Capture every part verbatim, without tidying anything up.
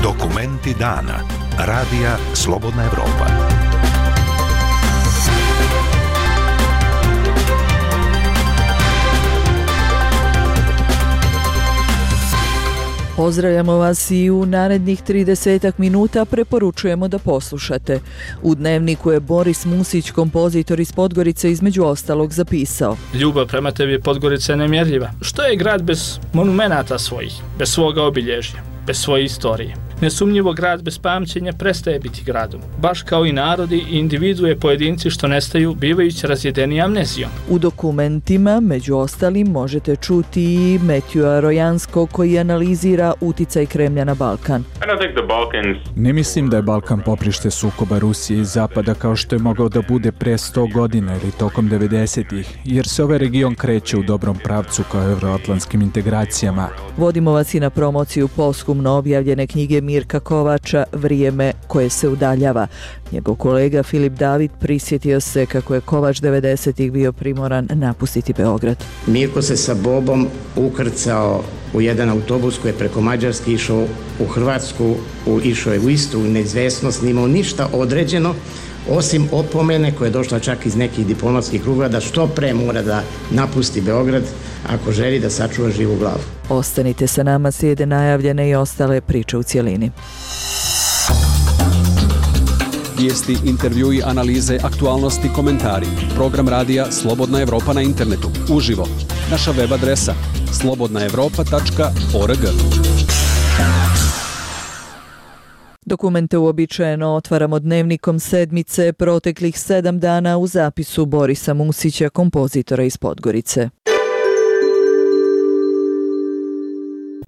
Dokumenti dana. Radija Slobodna Evropa. Pozdravljamo vas i u narednih tridesetak minuta preporučujemo da poslušate. U Dnevniku je Boris Musić, kompozitor iz Podgorice, između ostalog zapisao: Ljubav prema tebi Podgorica je nemjerljiva. Što je grad bez monumenata svojih, bez svoga obilježja, bez svoje istorije? Nesumnjivo grad bez pamćenja prestaje biti gradom, baš kao i narodi i individue pojedinci što nestaju bivajući razjedeni amnezijom. U dokumentima, među ostalim, možete čuti i Metjua Rojanskog koji analizira uticaj Kremlja na Balkan. Ne mislim da je Balkan poprište sukoba Rusije i Zapada kao što je mogao da bude pre sto godina ili tokom devedesetih, jer se ovaj region kreće u dobrom pravcu kao evroatlantskim integracijama. Vodimo vas i na promociju posthumno objavljene knjige Mirka Kovača Vrijeme koje se udaljava. Njegov kolega Filip David prisjetio se kako je Kovač devedesetih bio primoran napustiti Beograd. Mirko se sa Bobom ukrcao u jedan autobus koji je preko Mađarske išao u Hrvatsku, u, išao je u Istru, u neizvesnost, nimao ništa određeno, osim opomene koja je došla čak iz nekih diplomatskih kruga da što pre mora da napusti Beograd ako želi da sačuva živu glavu. Ostanite sa nama, slijede najavljene i ostale priče u cjelini. Vijesti, intervjui, analize, aktualnosti, komentari. Program radija Slobodna Evropa na internetu. Uživo. Naša web adresa slobodna evropa tačka org. Dokumente uobičajeno otvaramo Dnevnikom sedmice proteklih sedam dana u zapisu Borisa Musića, kompozitora iz Podgorice.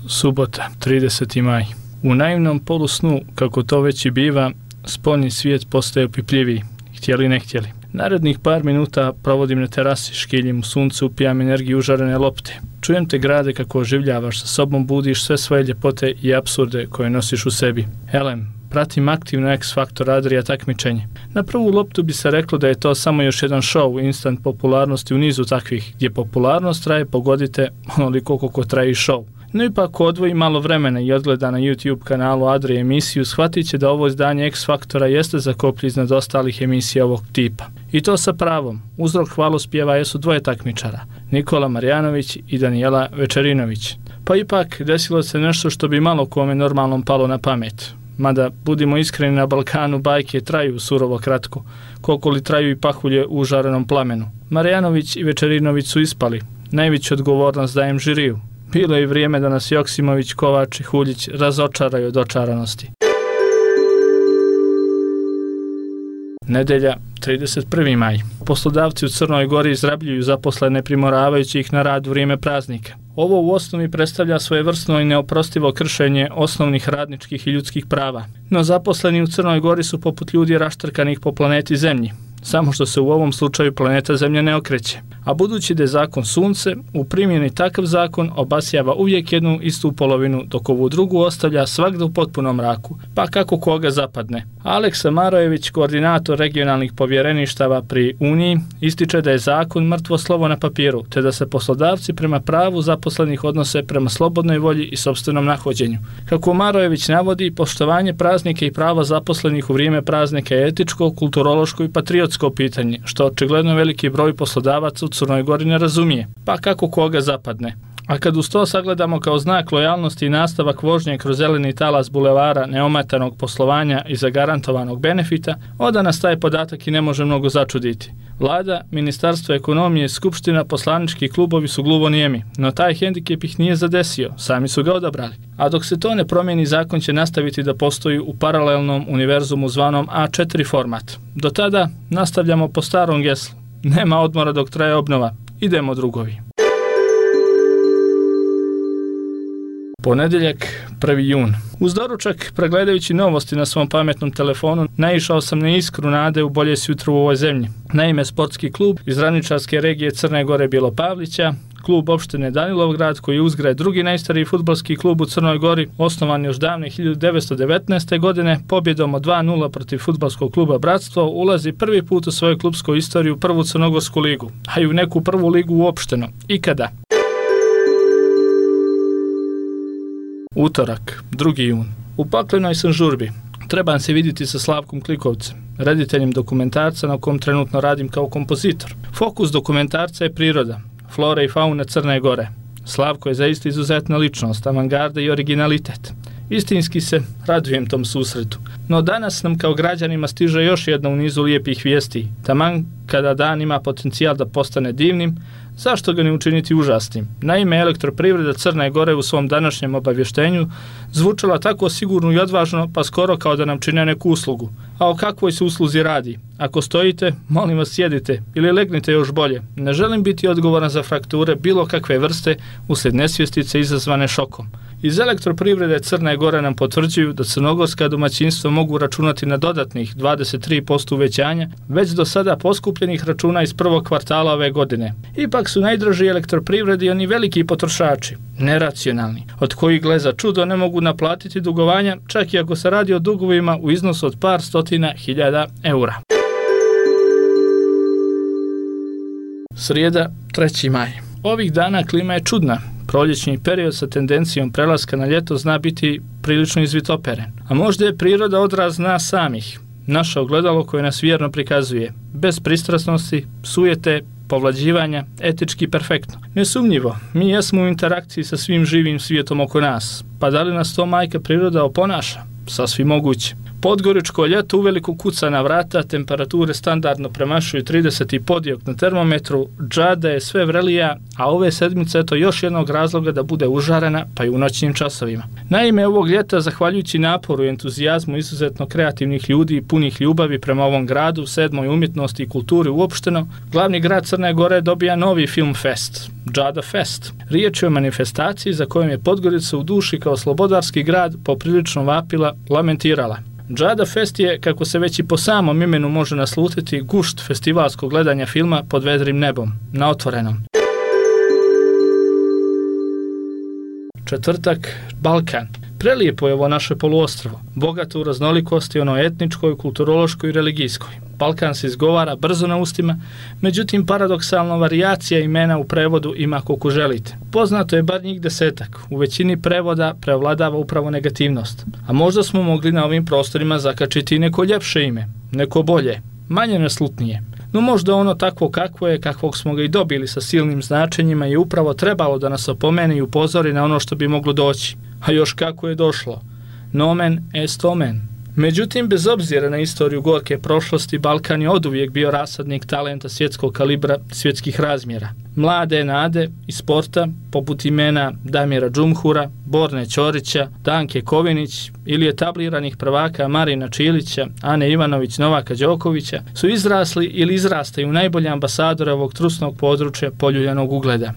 Subota, trideseti maj. U naivnom polusnu, kako to već i biva, spoljni svijet postaje opipljiviji, htjeli ne htjeli. Narednih par minuta provodim na terasi, škiljim u suncu, upijam energiju užarene lopte. Čujem te grade kako oživljavaš, sa sobom budiš sve svoje ljepote i apsurde koje nosiš u sebi. Elem, pratim aktivno X-Factor Adria takmičenje. Na prvu loptu bi se reklo da je to samo još jedan show, instant popularnosti u nizu takvih, gdje popularnost traje, pogodite, onoliko koliko traje i show. No ipak ko odvoji malo vremena i odgleda na YouTube kanalu Adrije emisiju, shvatit će da ovo izdanje X-Faktora jeste zakoplje iznad ostalih emisija ovog tipa. I to sa pravom. Uzrok hvalospjeva jesu dvoje takmičara, Nikola Marjanović i Danijela Večerinović. Pa ipak desilo se nešto što bi malo kome normalnom palo na pamet. Mada, budimo iskreni, na Balkanu bajke traju surovo kratko, koliko li traju i pahulje u užarenom plamenu. Marjanović i Večerinović su ispali. Najveću odgovornost dajem žiriju. Bilo je i vrijeme da nas Joksimović, Kovač i Huljić razočaraju od očaranosti. Nedelja, trideset prvi maj. Poslodavci u Crnoj Gori izrabljuju zaposlene primoravajući ih na rad u vrijeme praznika. Ovo u osnovi predstavlja svojevrsno i neoprostivo kršenje osnovnih radničkih i ljudskih prava. No zaposleni u Crnoj Gori su poput ljudi raštrkanih po planeti Zemlji. Samo što se u ovom slučaju planeta Zemlja ne okreće. A budući da je zakon sunce, u primjeni takav zakon obasjava uvijek jednu istu polovinu, dok ovu drugu ostavlja svagda u potpunom mraku, pa kako koga zapadne. Aleksa Marojević, koordinator regionalnih povjereništava pri Uniji, ističe da je zakon mrtvo slovo na papiru, te da se poslodavci prema pravu zaposlenih odnose prema slobodnoj volji i sopstvenom nahođenju. Kako Marojević navodi, poštovanje praznike i prava zaposlenih u vrijeme praznika je etičko, kulturološko i patriotsko pitanje, što očigledno veliki broj poslodavaca u Crnoj Gori ne razumije, pa kako koga zapadne. A kad uz to sagledamo kao znak lojalnosti i nastavak vožnje kroz zeleni talas bulevara neometanog poslovanja i zagarantovanog benefita, onda nas taj podatak i ne može mnogo začuditi. Vlada, Ministarstvo ekonomije, Skupština, poslanički klubovi su gluvonijemi, no taj hendikep ih nije zadesio, sami su ga odabrali. A dok se to ne promijeni, zakon će nastaviti da postoji u paralelnom univerzumu zvanom A četiri format. Do tada nastavljamo po starom geslu. Nema odmora dok traje obnova. Idemo drugovi. Ponedjeljak, prvi jun. Uz doručak, pregledajući novosti na svom pametnom telefonu, naišao sam na iskru nade u bolje jutro u ovoj zemlji. Naime, sportski klub iz ravničarske regije Crne Gore Bilopavlića, klub opštine Danilovgrad, koji je uzgred drugi najstariji fudbalski klub u Crnoj Gori, osnovan još davne hiljadu devetsto devetnaeste. godine, pobjedom od dva nula protiv fudbalskog kluba Bratstvo, ulazi prvi put u svoju klubsku istoriju u prvu crnogorsku ligu, a i u neku prvu ligu uopšteno. Ikada. Utorak, drugi jun. U paklenoj sam žurbi. Trebam se vidjeti sa Slavkom Klikovcem, rediteljem dokumentarca na kom trenutno radim kao kompozitor. Fokus dokumentarca je priroda, flora i fauna Crne Gore. Slavko je zaista izuzetna ličnost, avangarda i originalitet. Istinski se radujem tom susretu. No danas nam kao građanima stiže još jedna u nizu lijepih vijesti. Taman kada dan ima potencijal da postane divnim, zašto ga ne učiniti užasnim? Naime, Elektroprivreda Crne Gore u svom današnjem obavještenju zvučala tako sigurno i odvažno, pa skoro kao da nam čine neku uslugu. A o kakvoj se usluzi radi? Ako stojite, molim vas sjedite ili legnite još bolje. Ne želim biti odgovoran za frakture bilo kakve vrste uslijed nesvjestice izazvane šokom. Iz Elektroprivrede Crne Gore nam potvrđuju da crnogorska domaćinstva mogu računati na dodatnih dvadeset tri posto uvećanja već do sada poskupljenih računa iz prvog kvartala ove godine. Ipak su najdraži Elektroprivredi oni veliki potrošači, neracionalni, od kojih gle za čudo ne mogu naplatiti dugovanja, čak i ako se radi o dugovima u iznosu od par stotina hiljada eura. Srijeda, treći maj. Ovih dana klima je čudna. Proljećni period sa tendencijom prelaska na ljeto zna biti prilično izvitoperen. A možda je priroda odraz nas samih, naše ogledalo koje nas vjerno prikazuje, bez pristrasnosti, sujete, povlađivanja, etički perfektno. Nesumnjivo, mi jesmo u interakciji sa svim živim svijetom oko nas, pa da li nas to majka priroda oponaša? Sasvim moguće. Podgoričko ljeto uveliko kuca na vrata, temperature standardno premašuju trideset i podijok na termometru, džada je sve vrelija, a ove sedmice eto još jednog razloga da bude užarena, pa i u noćnim časovima. Naime, ovog ljeta, zahvaljujući naporu i entuzijazmu izuzetno kreativnih ljudi i punih ljubavi prema ovom gradu, sedmoj umjetnosti i kulturi uopšteno, glavni grad Crne Gore dobija novi film fest, Džada Fest. Riječ je o manifestaciji za kojom je Podgorica u duši kao slobodarski grad poprilično vapila, lamentirala. Džada Fest je, kako se već i po samom imenu može naslutiti, gušt festivalskog gledanja filma pod vedrim nebom, na otvorenom. Četvrtak, Balkan. Prelijepo je ovo naše poluostrvo, bogato u raznolikosti ono etničkoj, kulturološkoj i religijskoj. Balkan se izgovara brzo na ustima, međutim paradoksalno varijacija imena u prevodu ima koliko želite. Poznato je bar njih desetak, u većini prevoda prevladava upravo negativnost. A možda smo mogli na ovim prostorima zakačiti neko ljepše ime, neko bolje, manje neslutnije. No možda ono takvo kakvo je, kakvog smo ga i dobili sa silnim značenjima je upravo trebalo da nas opomeni i upozori na ono što bi moglo doći. A još kako je došlo. Nomen est omen. Međutim, bez obzira na istoriju gorke prošlosti, Balkan je oduvijek bio rasadnik talenta svjetskog kalibra, svjetskih razmjera. Mlade nade i sporta, poput imena Damira Džumhura, Borne Ćorića, Danke Kovinić ili etabliranih prvaka Marina Čilića, Ane Ivanović, Novaka Đokovića, su izrasli ili izrastaju najbolje ambasadore ovog trusnog područja poljuljanog ugleda.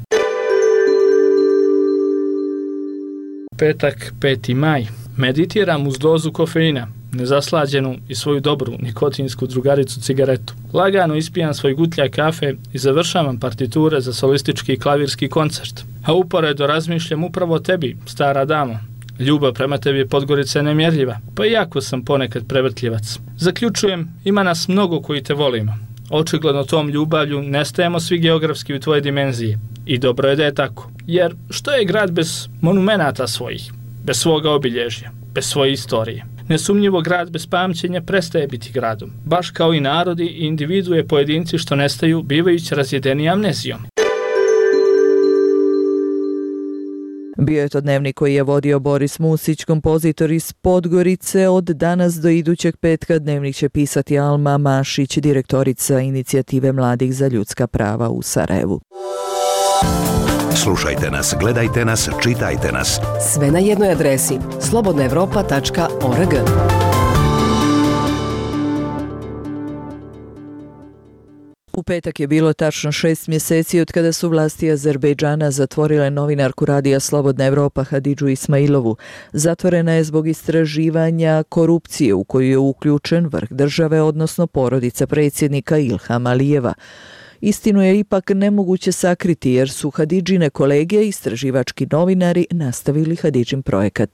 Petak, peti maj. Meditiram uz dozu kofeina, nezaslađenu i svoju dobru nikotinsku drugaricu cigaretu. Lagano ispijam svoj gutljaj kafe i završavam partiture za solistički klavirski koncert. A uporedo razmišljam upravo o tebi, stara damo. Ljubav prema tebi je Podgorica nemjerljiva, pa iako sam ponekad prevrtljivac. Zaključujem, ima nas mnogo koji te volimo. Očigledno tom ljubavlju nestajemo svi geografski u tvoje dimenziji. I dobro je da je tako. Jer što je grad bez monumenata svojih, bez svoga obilježja, bez svoje istorije? Nesumnjivo grad bez pamćenja prestaje biti gradom. Baš kao i narodi i individue pojedinci što nestaju bivajući razjedeni amnezijom. Bio je to dnevnik koji je vodio Boris Musić, kompozitor iz Podgorice. Od danas do idućeg petka dnevnik će pisati Alma Mašić, direktorica Inicijative mladih za ljudska prava u Sarajevu. Slušajte nas, gledajte nas, čitajte nas. Sve na jednoj adresi slobodna evropa tačka org. U petak je bilo tačno šest mjeseci od kada su vlasti Azerbejdžana zatvorile novinarku radija Slobodna Evropa Hadidžu Ismailovu. Zatvorena je zbog istraživanja korupcije u koju je uključen vrh države, odnosno porodica predsjednika Ilhama Alijeva. Istinu je ipak nemoguće sakriti jer su Hadidžine kolege, istraživački novinari, nastavili Hadidžin projekat.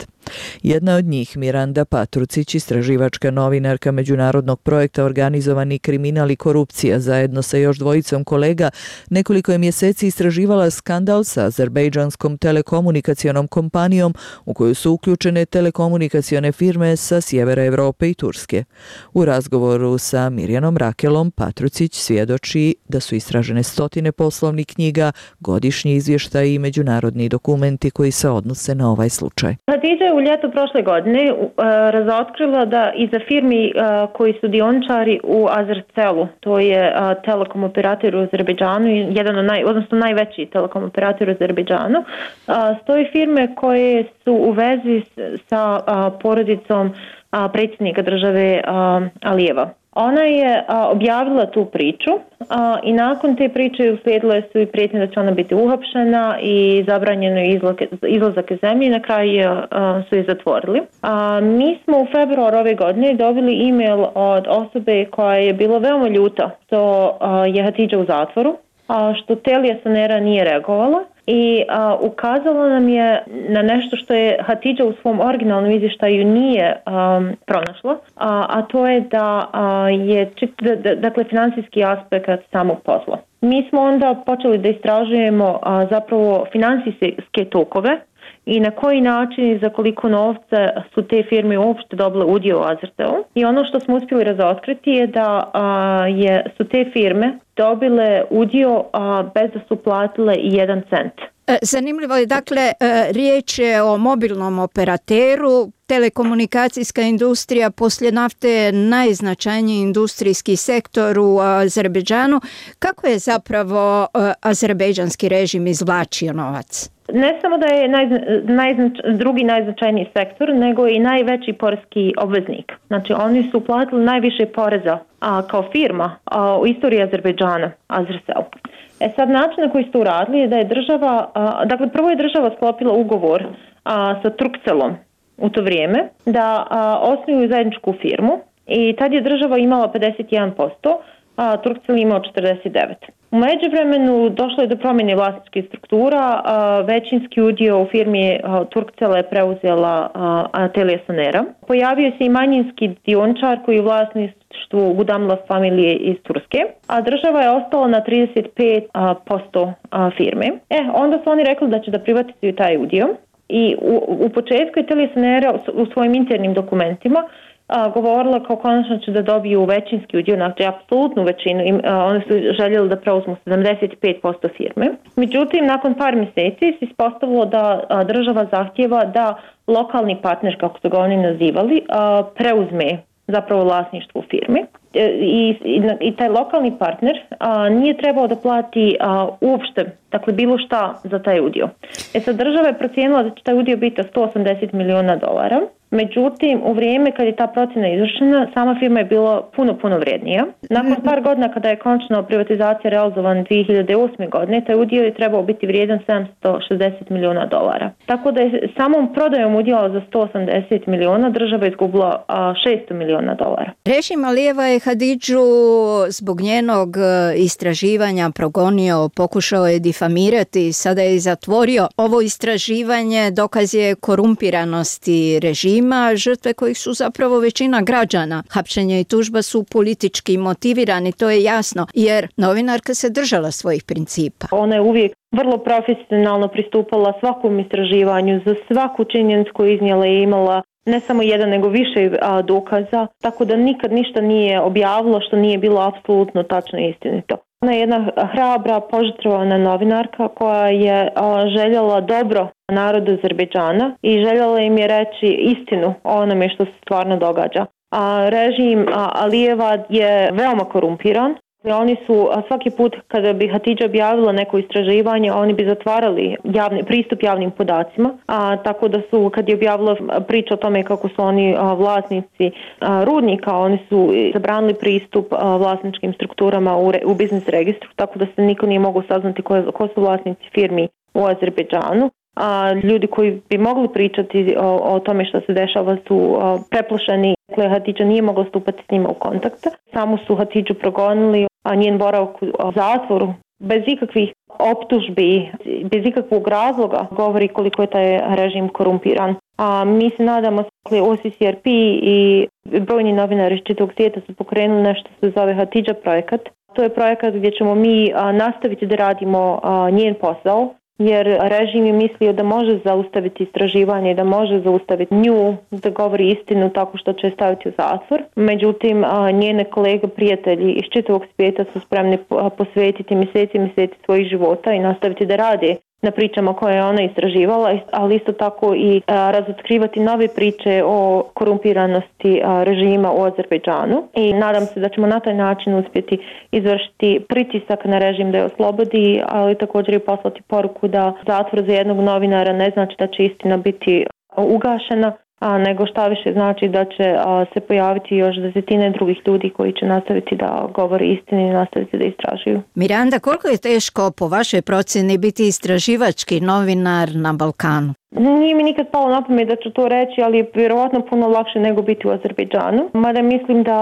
Jedna od njih, Miranda Patrucić, istraživačka novinarka međunarodnog projekta Organizovani kriminal i korupcija, zajedno sa još dvojicom kolega, nekoliko je mjeseci istraživala skandal sa azerbejdžanskom telekomunikacionom kompanijom u koju su uključene telekomunikacione firme sa sjevera Europe i Turske. U razgovoru sa Mirjanom Rakelom, Patrucić svjedoči da su istražene stotine poslovnih knjiga, godišnji izvještaji i međunarodni dokumenti koji se odnose na ovaj slučaj. Hadidža je u ljetu prošle godine uh, razotkrila da iza firmi uh, koji su dioničari u Azercelu, to je uh, telekom operator u Azerbejdžanu, jedan od naj, odnosno najveći telekom operator u Azerbejdžanu, uh, stoji firme koje su u vezi sa uh, porodicom uh, predsjednika države uh, Alijeva. Ona je a, objavila tu priču a, i nakon te priče uslijedile su i prijetnje da će ona biti uhapšena i zabranjeno je izlazak, izlazak iz zemlje i na kraju a, su je zatvorili. A, mi smo u februaru ove godine dobili e-mail od osobe koja je bila veoma ljuta što a, je Hadidža u zatvoru, a, što Telija Sonera nije reagovala. I a, ukazala nam je na nešto što je Hadidža u svom originalnom izvještaju nije a, pronašla, a, a to je da a, je čit, da, da, dakle financijski aspekt samog posla. Mi smo onda počeli da istražujemo a, zapravo financijske tokove i na koji način i za koliko novca su te firme uopšte dobile udio u Azercelu. I ono što smo uspjeli razotkriti je da a, je, su te firme dobile udio a, bez da su platile i jedan cent. Zanimljivo je, dakle, riječ je o mobilnom operateru, telekomunikacijska industrija poslije nafte je najznačajniji industrijski sektor u Azerbejdžanu. Kako je zapravo azerbejdžanski režim izvlačio novac? Ne samo da je naj, najznač, drugi najznačajniji sektor, nego i najveći porezki obveznik. Znači oni su platili najviše poreza a, kao firma a, u istoriji Azerbejdžana, Azercel. E sad način na koji su to uradili je da je država, a, dakle prvo je država sklopila ugovor a, sa Turkcelom u to vrijeme da a, osnuju zajedničku firmu i tad je država imala pedeset jedan posto, a Turkcell imao četrdeset devet posto. U međuvremenu došlo je do promjene vlasničkih struktura, a, većinski udio u firmi Turkcell je preuzela a, a, Telija Sonera. Pojavio se i manjinski dioničar koji je u vlasništvu Gudamla familije iz Turske, a država je ostala na trideset pet posto firme. E, onda su oni rekli da će da privatizuju taj udio i u, u početku je Telija Sonera u svojim internim dokumentima A, govorila kao konačno će da dobiju većinski udio, znači apsolutnu većinu, im, a, one su željeli da preuzmu sedamdeset pet posto firme. Međutim, nakon par mjeseci se ispostavilo da a, država zahtjeva da lokalni partner, kako su ga oni nazivali, a, preuzme zapravo vlasništvo firme. I, i, i taj lokalni partner a, nije trebao da plati a, uopšte, dakle bilo šta za taj udio. E sad država je procijenila da će taj udio biti sto osamdeset milijuna dolara. Međutim, u vrijeme kad je ta procjena izvršena, sama firma je bila puno, puno vrijednija. Nakon par godina kada je konačno privatizacija realizovan dvije hiljade osme godine, taj udio je trebao biti vrijedan sedamsto šezdeset milijuna dolara. Tako da je samom prodajom udjela za sto osamdeset milijuna država izgubila a, šesto milijuna dolara. Režim Alijeva je Hadidžu zbog njenog istraživanja progonio, pokušao je difamirati, sada je zatvorio. Ovo istraživanje dokaz je korumpiranosti režima, žrtve kojih su zapravo većina građana. Hapšenje i tužba su politički motivirani, to je jasno, jer novinarka se držala svojih principa. Ona je uvijek vrlo profesionalno pristupala svakom istraživanju, za svaku činjenicu koju iznijela je imala ne samo jedan, nego više a, dokaza, tako da nikad ništa nije objavilo što nije bilo apsolutno tačno i istinito. Ona je jedna hrabra, požrtvovana novinarka koja je a, željela dobro narodu Azerbejdžana i željela im je reći istinu o onome što se stvarno događa. A režim a, Alijeva je veoma korumpiran. Oni su svaki put kada bi Hadidža objavila neko istraživanje, oni bi zatvarali javni, pristup javnim podacima, a, tako da su kad je objavila priču o tome kako su oni a, vlasnici a, rudnika, oni su zabranili pristup a, vlasničkim strukturama u, re, u biznis registru, tako da se niko nije mogao saznati ko, ko su vlasnici firmi u Azerbejdžanu. A ljudi koji bi mogli pričati o, o tome što se dešava su a, preplašeni. Dakle, Hadidža nije mogla stupati s njima u kontakt. Samo su Hadidžu progonili. njen boravak u zatvoru bez ikakvih optužbi, bez ikakvog razloga govori koliko je taj režim korumpiran. A mi se nadamo, O C C R P i brojni novinari iz čitavog svijeta su pokrenuli nešto što se zove Hatidža projekat. To je projekat gdje ćemo mi nastaviti da radimo njen posao, jer režim je mislio da može zaustaviti istraživanje, da može zaustaviti nju, da govori istinu tako što će staviti u zatvor. Međutim, njene kolege, prijatelji iz čitavog svijeta su spremni posvetiti mjeseci i mjeseci svojih života i nastaviti da rade na pričama koje je ona istraživala, ali isto tako i a, razotkrivati nove priče o korumpiranosti a, režima u Azerbejdžanu. I nadam se da ćemo na taj način uspjeti izvršiti pritisak na režim da je oslobodi, ali također i poslati poruku da zatvor za jednog novinara ne znači da će istina biti ugašena, a nego šta više znači da će a, se pojaviti još desetine drugih ljudi koji će nastaviti da govore istinu i nastaviti da istražuju. Miranda, koliko je teško po vašoj procjeni biti istraživački novinar na Balkanu? Nije mi nikad palo na pamet da ću to reći, ali je vjerovatno puno lakše nego biti u Azerbejdžanu. Mada mislim da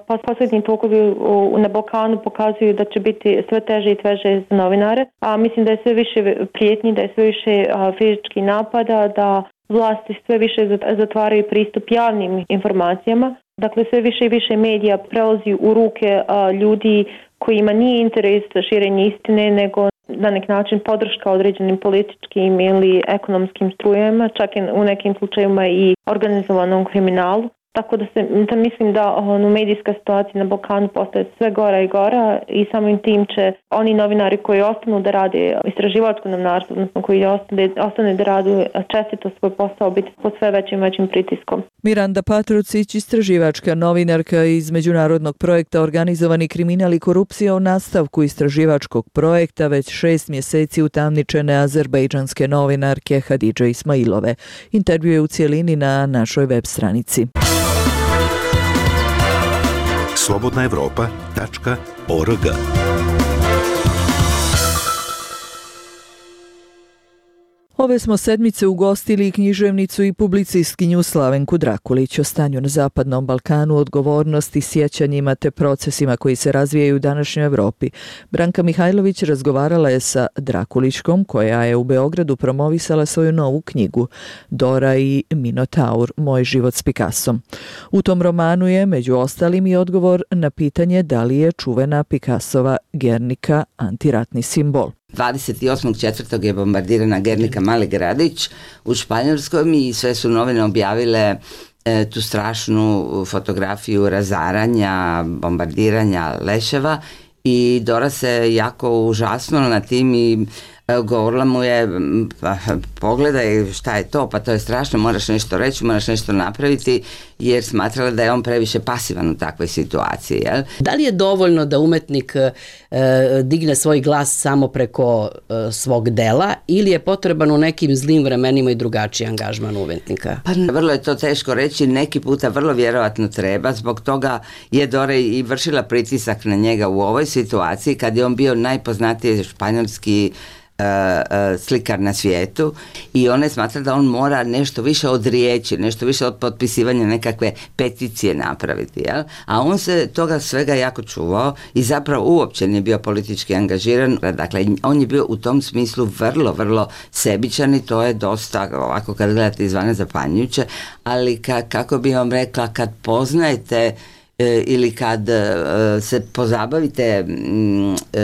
pa posljednji tokovi na Balkanu pokazuju da će biti sve teže i teže za novinare. A mislim da je sve više prijetnji, da je sve više fizičkih napada, da vlasti sve više zatvaraju pristup javnim informacijama. Dakle, sve više i više medija prelazi u ruke a, ljudi kojima nije interes širenje istine, nego na neki način podrška određenim političkim ili ekonomskim strujama, čak i u nekim slučajevima i organizovanom kriminalu. Tako da, se, da mislim da ono, medijska situacija na Balkanu postaje sve gora i gora i samim tim će oni novinari koji ostanu da rade istraživačko novinarstvo, odnosno koji ostane, ostane da rade čestito svoj posao, biti pod sve većim većim pritiskom. Miranda Patrucić, istraživačka novinarka iz međunarodnog projekta Organizovani kriminal i korupcija, o nastavku istraživačkog projekta već šest mjeseci utamničene azerbejdžanske novinarke Hadidže Ismailove. Intervju je u cijelini na našoj web stranici. slobodna evropa tačka org. Ove smo sedmice ugostili književnicu i publicistkinju Slavenku Drakulić o stanju na Zapadnom Balkanu, odgovornosti, sjećanjima te procesima koji se razvijaju u današnjoj Evropi. Branka Mihajlović razgovarala je sa Drakulićkom, koja je u Beogradu promovisala svoju novu knjigu Dora i Minotaur, moj život s Picassom. U tom romanu je, među ostalim, i odgovor na pitanje da li je čuvena Picassova Guernica antiratni simbol. dvadeset osmog četvrtog je bombardirana Guernica, mali gradić u Španjolskom, i sve su novine objavile e, tu strašnu fotografiju razaranja, bombardiranja leševa, i Dora se jako užasnula na tim i e, govorila mu je, pa, pogledaj šta je to, pa to je strašno, moraš nešto reći, moraš nešto napraviti, jer smatrala da je on previše pasivan u takvoj situaciji. Jel? Da li je dovoljno da umetnik e, digne svoj glas samo preko e, svog dela, ili je potreban u nekim zlim vremenima i drugačiji angažman umetnika? Pa vrlo je to teško reći, neki puta vrlo vjerovatno treba, zbog toga je Dora i vršila pritisak na njega u ovoj situaciji, kad je on bio najpoznatiji španjolski Uh, uh, slikar na svijetu, i ona je smatra da on mora nešto više od riječi, nešto više od potpisivanja nekakve peticije napraviti, jel? A on se toga svega jako čuvao i zapravo uopće nije bio politički angažiran. Dakle, on je bio u tom smislu vrlo, vrlo sebičan, i to je dosta, ovako kad gledate izvana, zapanjujuće, ali ka, kako bi vam rekla, kad poznajete ili kad se pozabavite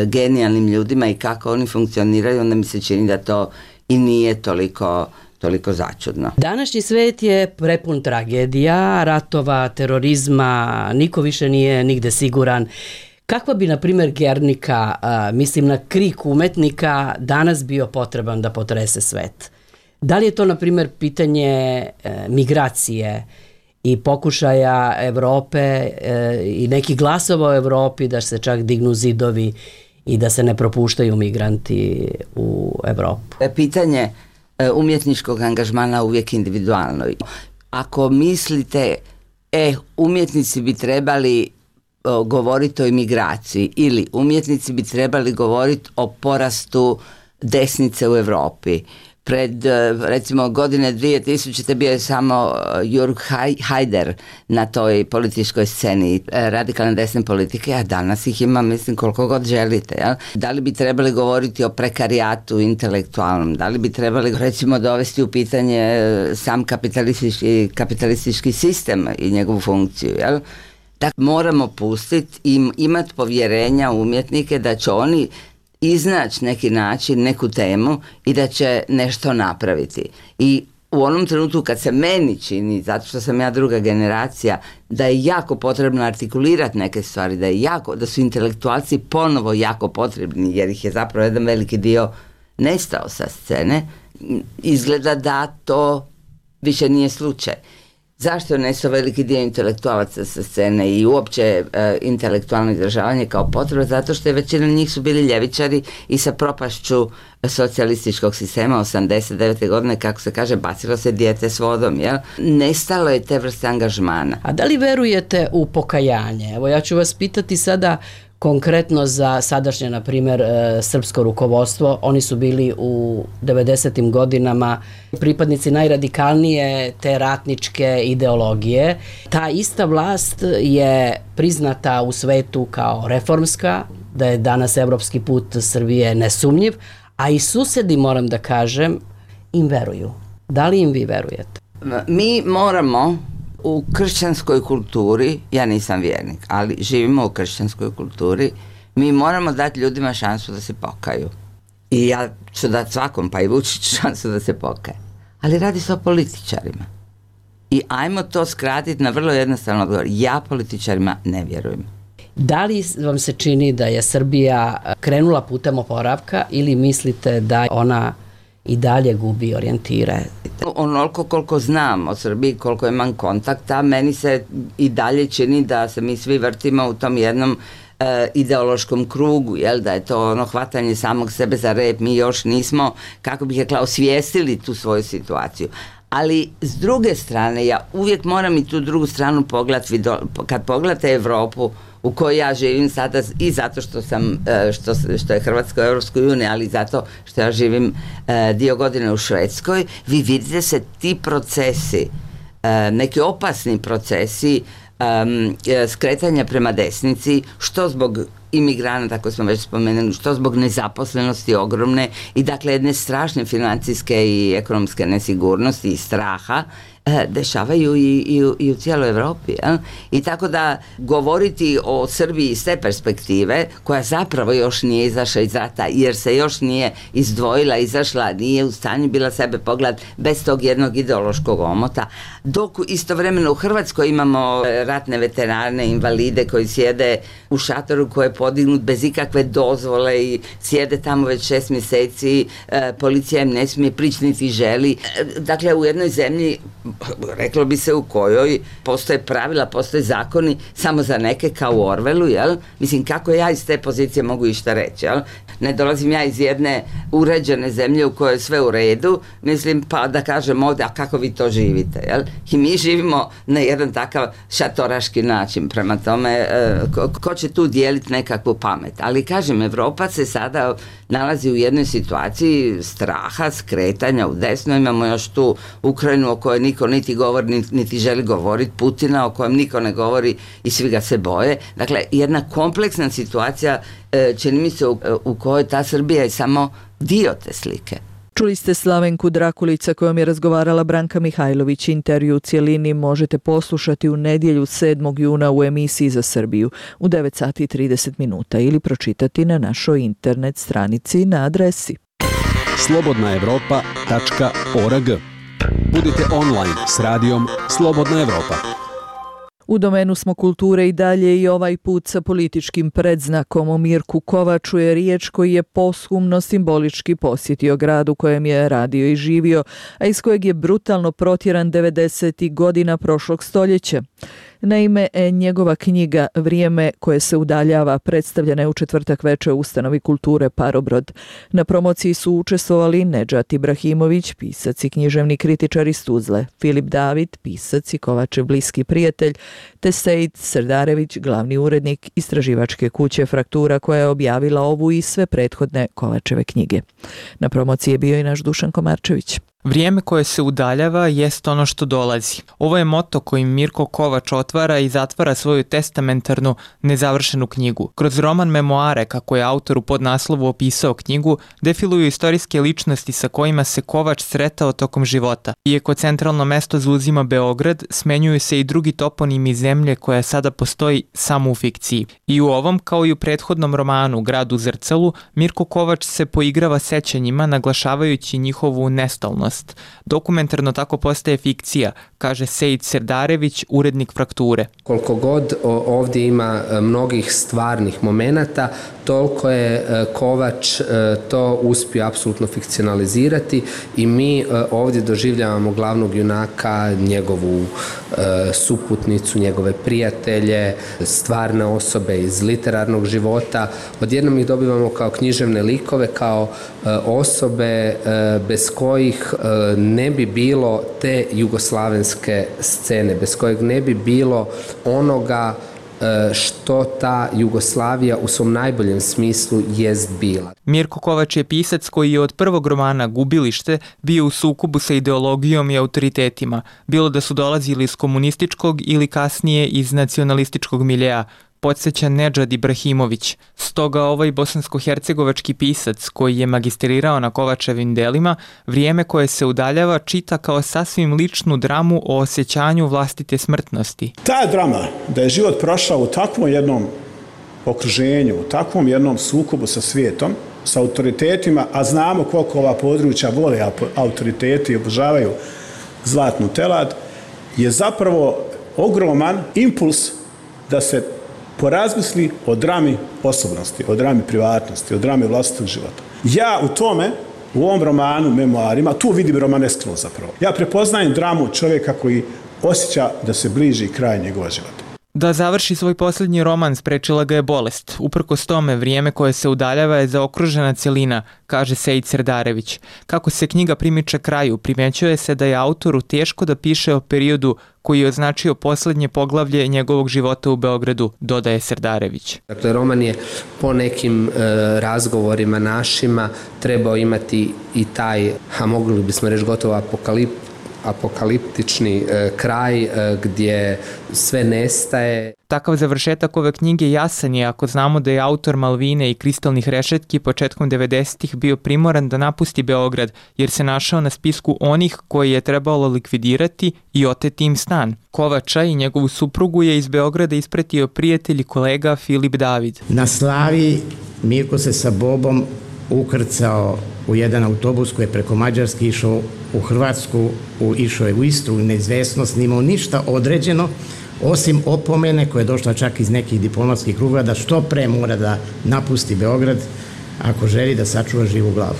genijalnim ljudima i kako oni funkcioniraju, onda mi se čini da to i nije toliko, toliko začudno. Današnji svet je prepun tragedija, ratova, terorizma, niko više nije nigde siguran. Kakva bi, na primjer, Guernica, mislim na krik umetnika, danas bio potreban da potrese svet? Da li je to, na primjer, pitanje migracije i pokušaja Evrope e, i nekih glasova u Evropi da se čak dignu zidovi i da se ne propuštaju migranti u Evropu? Pitanje umjetničkog angažmana uvijek individualno. Ako mislite, e, umjetnici bi trebali o, govoriti o imigraciji, ili umjetnici bi trebali govoriti o porastu desnice u Evropi, Pred, recimo, godine dvije tisućite bio je samo Jurg Haider na toj političkoj sceni radikalne desne politike, a danas ih ima, mislim, koliko god želite. Jel? Da li bi trebali govoriti o prekarijatu intelektualnom? Da li bi trebali, recimo, dovesti u pitanje sam kapitalistički, kapitalistički sistem i njegovu funkciju? Jel? Dakle, moramo pustiti i imati povjerenja u umjetnike da će oni iznaći neki način, neku temu i da će nešto napraviti. I u onom trenutku kad se meni čini, zato što sam ja druga generacija, da je jako potrebno artikulirati neke stvari, da je jako, da su intelektualci ponovo jako potrebni, jer ih je zapravo jedan veliki dio nestao sa scene, izgleda da to više nije slučaj. Zašto je nestao veliki dio intelektualaca sa scene i uopće e, intelektualno izražavanje kao potreba? Zato što je većina njih su bili ljevičari i sa propašću socijalističkog sistema osamdeset devete godine, kako se kaže, bacilo se dijete s vodom, jel? Nestalo je te vrste angažmana. A da li verujete u pokajanje? Evo, ja ću vas pitati sada konkretno za sadašnje, na primjer, srpsko rukovodstvo. Oni su bili u devedesetim godinama pripadnici najradikalnije te ratničke ideologije. Ta ista vlast je priznata u svetu kao reformska, da je danas evropski put Srbije nesumnjiv, a i susedi, moram da kažem, im veruju. Da li im vi verujete? Mi moramo u kršćanskoj kulturi, ja nisam vjernik, ali živimo u kršćanskoj kulturi, mi moramo dati ljudima šansu da se pokaju. I ja ću dati svakom, pa i Vučić, šansu da se pokaje. Ali radi se o političarima. I ajmo to skratiti na vrlo jednostavno odgovor. Ja političarima ne vjerujem. Da li vam se čini da je Srbija krenula putem oporavka ili mislite da ona i dalje gubi orijentire? Onoliko koliko znam o Srbiji, koliko imam kontakta, meni se i dalje čini da se mi svi vrtimo u tom jednom e, ideološkom krugu, jel, da je to ono hvatanje samog sebe za rep, mi još nismo, kako bih rekla, osvijestili tu svoju situaciju. Ali s druge strane, ja uvijek moram i tu drugu stranu pogledati, kad pogledate Evropu u kojoj ja živim sada i zato što sam, što, što je Hrvatska u Europskoj uniji, ali zato što ja živim dio godine u Švedskoj, vi vidite se ti procesi, neki opasni procesi skretanja prema desnici, što zbog imigranata, kako smo već spomenuli, što zbog nezaposlenosti ogromne i dakle jedne strašne financijske i ekonomske nesigurnosti i straha, dešavaju i, i, u, i u cijeloj Evropi. Jel? I tako da govoriti o Srbiji iz te perspektive, koja zapravo još nije izašla iz rata, jer se još nije izdvojila, izašla, nije u stanju bila sebe pogledati bez tog jednog ideološkog omota, dok istovremeno u Hrvatskoj imamo ratne veterane, invalide koji sjede u šatoru koji je podignut bez ikakve dozvole i sjede tamo već šest mjeseci, e, policija im ne smije prići niti želi. E, dakle, u jednoj zemlji, reklo bi se, u kojoj postoje pravila, postoje zakoni samo za neke, kao u Orwellu, jel? Mislim, kako ja iz te pozicije mogu išta reći, jel? Ne dolazim ja iz jedne uređene zemlje u kojoj je sve u redu, mislim, pa da kažem ovdje, a kako vi to živite, jel? I mi živimo na jedan takav šatoraški način, prema tome, ko, ko će tu dijeliti nekakvu pamet? Ali kažem, Evropa se sada nalazi u jednoj situaciji straha, skretanja u desno, imamo još tu Ukrajinu o kojoj niko niti govori, niti, niti želi govoriti, Putina o kojem niko ne govori i svi ga se boje. Dakle, jedna kompleksna situacija, čini mi se, u, u kojoj ta Srbija je samo dio te slike. Čuli ste Slavenku Drakulica kojom je razgovarala Branka Mihajlović. Intervju u cijelini možete poslušati u nedjelju sedmog juna u emisiji za Srbiju u devet sati i trideset minuta ili pročitati na našoj internet stranici na adresi slobodna evropa tačka org. Budite online s radijom Slobodna Evropa. U domenu smo kulture i dalje i ovaj put sa političkim predznakom. O Mirku Kovaču je riječ, koji je posthumno simbolički posjetio grad u kojem je radio i živio, a iz kojeg je brutalno protjeran devedesetih godina prošlog stoljeća. Naime, njegova knjiga Vrijeme koje se udaljava predstavljena je u četvrtak veče u ustanovi kulture Parobrod. Na promociji su učestvovali Nedžad Ibrahimović, pisac i književni kritičar iz Tuzle, Filip David, pisac i Kovačev bliski prijatelj, te Sejid Serdarević, glavni urednik istraživačke kuće Fraktura koja je objavila ovu i sve prethodne Kovačeve knjige. Na promociji je bio i naš Dušan Komarčević. Vrijeme koje se udaljava jest ono što dolazi. Ovo je moto kojim Mirko Kovač otvara i zatvara svoju testamentarnu, nezavršenu knjigu. Kroz roman Memoare, kako je autor u podnaslovu opisao knjigu, defiluju istorijske ličnosti sa kojima se Kovač sretao tokom života. Iako centralno mesto zauzima Beograd, smenjuju se i drugi toponimi zemlje koja sada postoji samo u fikciji. I u ovom, kao i u prethodnom romanu Grad u zrcalu, Mirko Kovač se poigrava sećanjima, naglašavajući njihovu nestalnost. Dokumentarno tako postaje fikcija, kaže Sejid Serdarević, urednik Frakture. Koliko god ovdje ima mnogih stvarnih momenata, toliko je Kovač to uspio apsolutno fikcionalizirati i mi ovdje doživljavamo glavnog junaka, njegovu suputnicu, njegove prijatelje, stvarne osobe iz literarnog života. Odjednom ih dobivamo kao književne likove, kao osobe bez kojih ne bi bilo te jugoslavenske scene, bez kojeg ne bi bilo onoga što ta Jugoslavija u svom najboljem smislu jest bila. Mirko Kovač je pisac koji je od prvog romana Gubilište bio u sukobu sa ideologijom i autoritetima, bilo da su dolazili iz komunističkog ili kasnije iz nacionalističkog miljeja, podsjeća Nedžad Ibrahimović. Stoga ovaj bosansko-hercegovački pisac koji je magistrirao na Kovačevim delima, Vrijeme koje se udaljava čita kao sasvim ličnu dramu o osjećanju vlastite smrtnosti. Ta drama, da je život prošao u takvom jednom okruženju, u takvom jednom sukobu sa svijetom, sa autoritetima, a znamo koliko ova područja vole autoriteti i obožavaju zlatnu telad, je zapravo ogroman impuls da se porazmisli o drami osobnosti, o drami privatnosti, o drami vlastitog života. Ja u tome, u ovom romanu, memoarima, tu vidim romaneskno zapravo. Ja prepoznajem dramu čovjeka koji osjeća da se bliži kraj njegova života. Da završi svoj posljednji roman sprečila ga je bolest. Uprkos tome, Vrijeme koje se udaljava je zaokružena cjelina, kaže Sejid Serdarević. Kako se knjiga primiče kraju, primećuje se da je autoru teško da piše o periodu koji je označio posljednje poglavlje njegovog života u Beogradu, dodaje Serdarević. Dakle, roman je po nekim e, razgovorima našima trebao imati i taj, a mogli bismo reći gotovo apokalip, apokaliptični e, kraj e, gdje sve nestaje. Takav završetak ove knjige jasan je ako znamo da je autor Malvine i Kristalnih rešetki početkom devedesetih bio primoran da napusti Beograd jer se našao na spisku onih koji je trebalo likvidirati i oteti im stan. Kovača i njegovu suprugu je iz Beograda ispratio prijatelj i kolega Filip David. Na Slavi Mirko se sa Bobom ukrcao u jedan autobus koji je preko Mađarske išao u Hrvatsku, u, išao je u Istru, u neizvesnost, nimao ništa određeno, osim opomene koja je došla čak iz nekih diplomatskih kruga da što pre mora da napusti Beograd ako želi da sačuva živu glavu.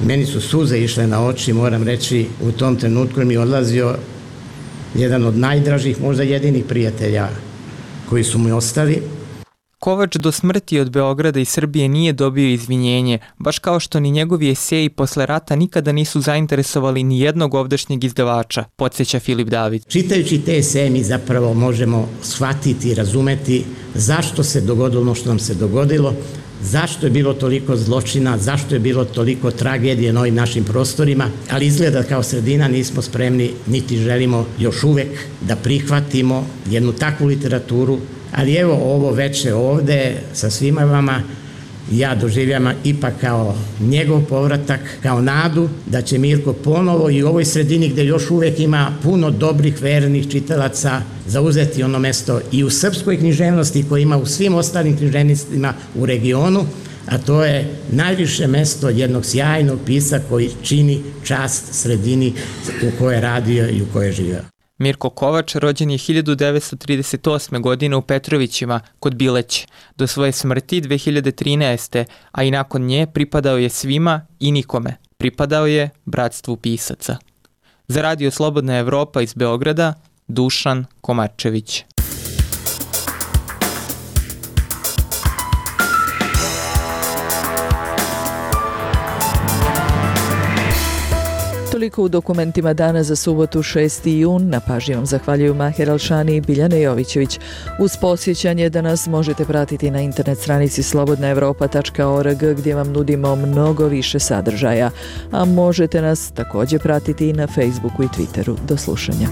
Meni su suze išle na oči, moram reći, u tom trenutku mi je odlazio jedan od najdražih, možda jedinih prijatelja koji su mi ostali. Kovač do smrti od Beograda i Srbije nije dobio izvinjenje, baš kao što ni njegovi eseji posle rata nikada nisu zainteresovali ni jednog ovdašnjeg izdavača, podsjeća Filip David. Čitajući te eseje mi zapravo možemo shvatiti i razumeti zašto se dogodilo ono što nam se dogodilo, zašto je bilo toliko zločina, zašto je bilo toliko tragedije na ovim našim prostorima, ali izgleda kao sredina nismo spremni, niti želimo još uvek da prihvatimo jednu takvu literaturu. Ali evo ovo veče ovde sa svima vama ja doživljam ipak kao njegov povratak, kao nadu da će Mirko ponovo i u ovoj sredini gde još uvek ima puno dobrih vernih čitalaca zauzeti ono mesto i u srpskoj književnosti koje ima u svim ostalim književnostima u regionu, a to je najviše mesto jednog sjajnog pisca koji čini čast sredini u kojoj je radio i u kojoj je živio. Mirko Kovač rođen je hiljadu devetsto trideset osme. godine u Petrovićima, kod Bileće. Do svoje smrti dve hiljade trinaeste. a i nakon nje pripadao je svima i nikome. Pripadao je bratstvu pisaca. Za Radio Slobodna Evropa iz Beograda, Dušan Komarčević. Toliko u dokumentima dana za subotu šesti jun. Na pažnji vam zahvaljuju Maher Alšani i Biljana Jovićević. Uz posjećanje da nas možete pratiti na internet stranici slobodna evropa tačka org gdje vam nudimo mnogo više sadržaja, a možete nas također pratiti i na Facebooku i Twitteru. Do slušanja.